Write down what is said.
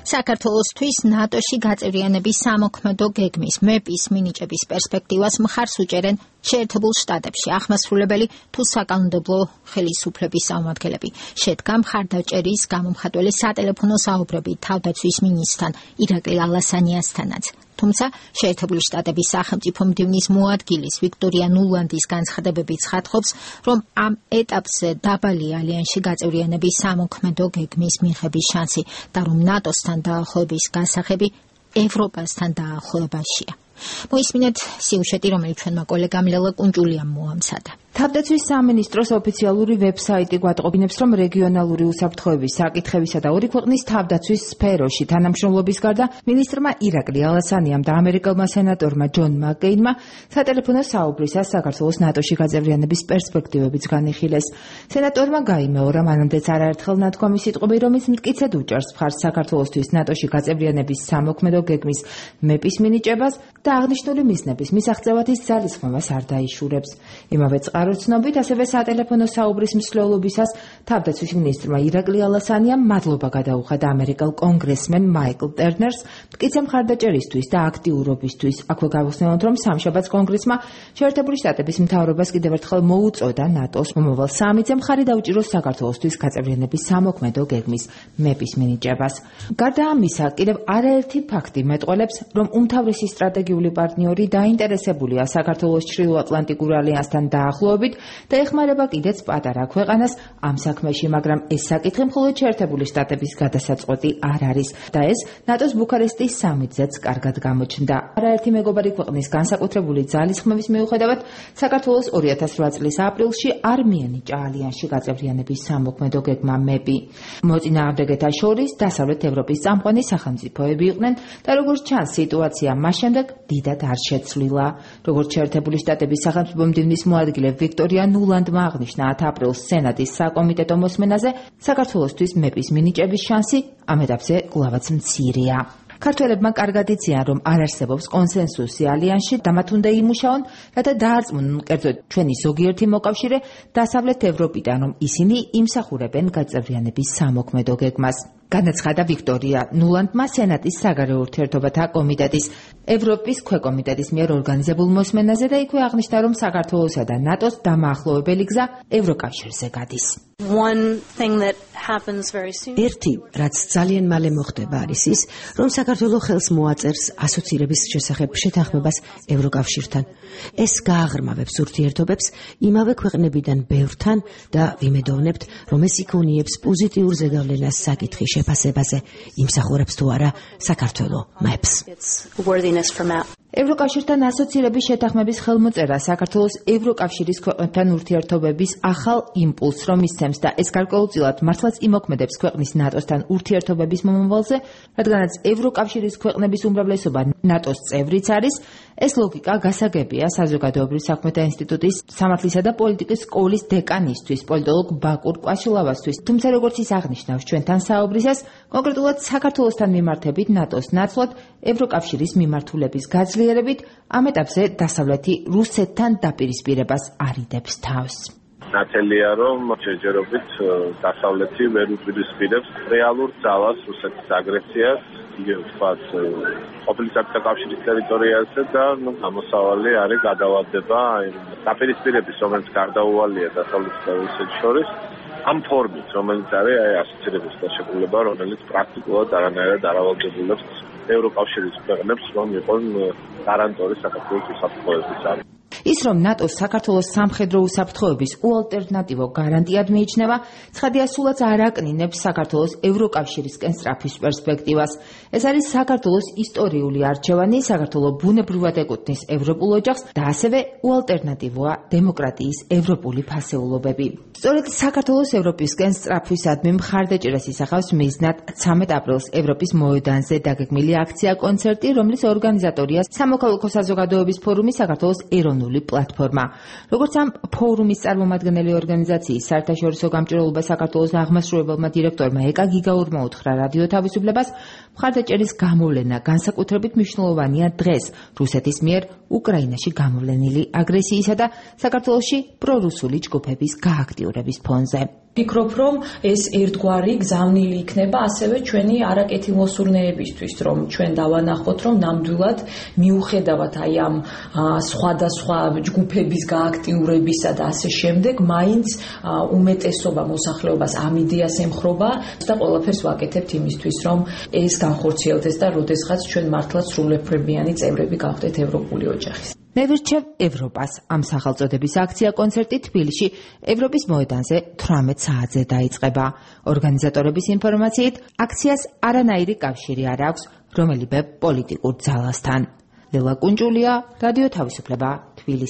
საქართველოსთვის ნატოში გაწევრიანების სამოქმედო გეგმის მეპის მინიჭების პერსპექტივას მხარს უჭერენ შეერთებულ შტატებში აღმასრულებელი თუ საკანონმდებლო ხელისუფლების წარმომადგენლები. შედგა მხარდაჭერის გამომხატველი სატელეფონო საუბრები თავდაცვის მინისტრთან ირაკლი ალასანიასთანაც. თუმცა შეერთებული შტატების სახელმწიფო მდივნის მოადგილის ვიქტორია ნულანდის განცხადებები ცხადყოფს, რომ ამ ეტაპზე დაბალია ალიანსში გაწევრიანების სამოქმედო გეგმის მიღების შანსი და რომ ნატოსთან დაახლოების გასაღები ევროპასთან დაახლოებაშია. მოისმინეთ სიუჟეტი, რომელიც ჩვენმა კოლეგამ ლელა კუნჭულიამ მოამზადა. თავდაცვის სამინისტროს ოფიციალური ვებსაიტი გვატყობინებს, რომ რეგიონალური უსაფრთხოების საკითხებისა და ორი ქვეყნის თავდაცვის სფეროში თანამშრომლობის გარდა მინისტრმა ირაკლი ალასანიამ და ამერიკელმა სენატორმა ჯონ მაკკეინმა სატელეფონო საუბრისას საქართველოს ნატოში გაწევრიანების პერსპექტივებიც განიხილეს. სენატორმა გაიმეორა მანამდეც არაერთხელ ნათქვამი სიტყვები, რომელიც მტკიცედ უჭერს მხარს საქართველოსთვის ნატოში გაწევრიანების სამოქმედო გეგმის მეპის მინიჭებას და აღნიშნული მიზნების მისაღწევად ის ძალისხმევას არ დაიშურებს. იმავე წყაროცნობით, ასევე სატელეფონო საუბრის მსვლელობისას თავდაცვის მინისტრმა ირაკლი ალასანიამ მადლობა გადაუხადა ამერიკელ კონგრესმენ მაიკლ ტერნერს მტკიცე მხარდაჭერისთვის და აქტიურობისთვის. აქვე გავხსნელოთ, რომ სამშაბათს კონგრესმა შეერთებული შტატების მთავრობას კიდევ ერთხელ მოუწოდა ნატოს მომავალ სამიტზე მხარი დაუჭიროს საქართველოსთვის გაწევრიანების სამოქმედო გეგმის მეპის მინიჭებას. გარდა ამისა, კიდევ არაერთი ფაქტი მეტყველებს, რომ უმთავრესი სტრატეგიული პარტნიორი დაინტერესებულია საქართველოს ჩრდილოატლანტიკურ ალიანსთან დაახლოებით და ეხმარება კიდეც პატარა ქვეყანას ამ საქმეში, მაგრამ ეს საკითხი მხოლოდ შეერთებული შტატების გადასაწყვეტი არ არის და ეს ნატოს ბუქარესტის სამიტზეც კარგად გამოჩნდა. არაერთი მეგობარი ქვეყნის განსაკუთრებული ძალისხმევის მიუხედავად, საქართველოს 2008 წლის აპრილში არ მიენიჭა ალიანსში გაწევრიანების სამოქმედო გეგმა მეპი. მოწინააღმდეგეთა შორის დასავლეთ ევროპის წამყვანი სახელმწიფოები იყვნენ და როგორც ჩანს, სიტუაცია მას შემდეგ დიდად არ შეცვლილა. როგორც შეერთებული შტატების სახელმწიფო მდივნის მოადგილე ვიქტორია ნულანდმა აღნიშნა 10 აპრილს სენატის საკომიტეტო მოსმენაზე, საქართველოსთვის მეპის მინიჭების შანსი ამ ეტაპზე კვლავაც მცირეა. ქართველებმა კარგად იციან, რომ არ არსებობს კონსენსუსი ალიანსში და მათ უნდა იმუშაონ, რათა დაარწმუნონ კერძოდ ჩვენი ზოგიერთი მოკავშირე დასავლეთ ევროპიდან, რომ ისინი იმსახურებენ გაწევრიანების სამოქმედო გეგმას. განაცხადა ვიქტორია ნულანდმა სენატის საგარეო ურთიერთობათა კომიტეტის ევროპის ქვეკომიტეტის მიერ ორგანიზებულ მოსმენაზე და იქვე აღნიშნა, რომ საქართველოსა და ნატოს დამაახლოვებელი გზა ევროკავშირზე გადის. ერთი, რაც ძალიან მალე მოხდება, არის ის, რომ საქართველო ხელს მოაწერს ასოცირების შესახებ შეთანხმებას ევროკავშირთან. ეს გააღრმავებს ურთიერთობებს იმავე ქვეყნებიდან ბევრთან და ვიმედოვნებთ, რომ ეს იქონიებს პოზიტიურ ზეგავლენას საკითხის შეფასებაზე, იმსახურებს თუ არა საქართველო მაps. ევროკავშირთან ასოცირების შეთანხმების ხელმოწერა საქართველოს ევროკავშირის ქვეყნებთან ურთიერთობების ახალ იმპულსს რომ ისცემს და ეს გარკვეულწილად მართლაც იმოქმედებს ქვეყნის ნატოსთან ურთიერთობების მომავალზე, რადგანაც ევროკავშირის ქვეყნების უმრავლესობა ნატოს წევრიც არის. ეს ლოგიკა გასაგებია საზოგადოებრივ საქმეთა ინსტიტუტის სამართლისა და პოლიტიკის სკოლის დეკანისთვის, პოლიტოლოგ ბაკურ კვაშილავასთვის. თუმცა როგორც ის აღნიშნავს ჩვენთან საუბრისას, კონკრეტულად საქართველოსთან მიმართებით ნატოს ნაცვლად ევროკავშირის მიმართულების გაძლიერებით ამ ეტაპზე დასავლეთი რუსეთთან დაპირისპირებას არიდებს თავს. ნათელია, რომ ჯერჯერობით დასავლეთი ვერ უპირისპირებს რეალურ ძალას რუსეთის აგრესიას, იგივე ვთქვათ, ყოფილი საბჭოთა კავშირის ტერიტორიაზე და გამოსავალი არის გადავადება დაპირისპირების, რომელიც გარდაუვალია დასავლეთ და რუსეთს შორის, ამ ფორმით, რომელიც არის ასოცირების დაშეკრულება, რომელიც პრაქტიკულად არანაირად არ ავალდებულებს ევროკავშირის ქვეყნებს, რომ იყვნენ გარანტორი საქართველოს უსაფრთხოებისა. ის, რომ ნატოს საქართველოს სამხედრო უსაფრთხოების უალტერნატივო გარანტიად მიიჩნევა, ცხადია სულაც არ აკნინებს საქართველოს ევროკავშირისკენ სწრაფის პერსპექტივას. ეს არის საქართველოს ისტორიული არჩევანი, საქართველო ბუნებრივად ეკუთვნის ევროპულ ოჯახს და ასევე უალტერნატივოა დემოკრატიის ევროპული ფასეულობები. სწორედ საქართველოს ევროპისკენ სწრაფვისადმი მხარდაჭერას ისახავს მიზნად 13 აპრილს ევროპის მოედანზე დაგეგმილი აქცია-კონცერტი, რომლის ორგანიზატორია სამოქალაქო საზოგადოების ფორუმი საქართველოს ეროვნული პლატფორმა. როგორც ამ ფორუმის წარმომადგენელი ორგანიზაციის საერთაშორისო გამჭირვალობა საქართველოს აღმასრულებელმა დირექტორმა ეკა გიგაურმა უთხრა რადიო თავისუფლებას, მხარდაჭერის გამოვლენა განსაკუთრებით მნიშვნელოვანია დღეს რუსეთის მიერ უკრაინაში გამოვლენილი აგრესიისა და საქართველოში პრორუსული ჯგუფების გააქტიურების ფონზე. ვფიქრობ, რომ ეს ერთგვარი გზავნილი იქნება ასევე ჩვენი არაკეთილმოსურნეებისთვის, რომ ჩვენ დავანახოთ, რომ ნამდვილად მიუხედავად აი ამ სხვადასხვა ჯგუფების გააქტიურებისა და ასე შემდეგ, მაინც უმეტესობა მოსახლეობას ამ იდეას ემხრობა და ყველაფერს ვაკეთებთ იმისთვის, რომ ეს განხორციელდეს და როდესღაც ჩვენ მართლაც სრულუფლებიანი წევრები გავხდეთ ევროპული ოჯახის. მე ვირჩევ ევროპას. ამ სახელწოდების აქცია კონცერტი თბილისში ევროპის მოედანზე 18 საათზე დაიწყება. ორგანიზატორების ინფორმაციით, აქციას არანაირი კავშირი არ აქვს რომელიმე პოლიტიკურ ძალასთან. ლელა კუნჯულია, რადიო თავისუფლება, თბილისი.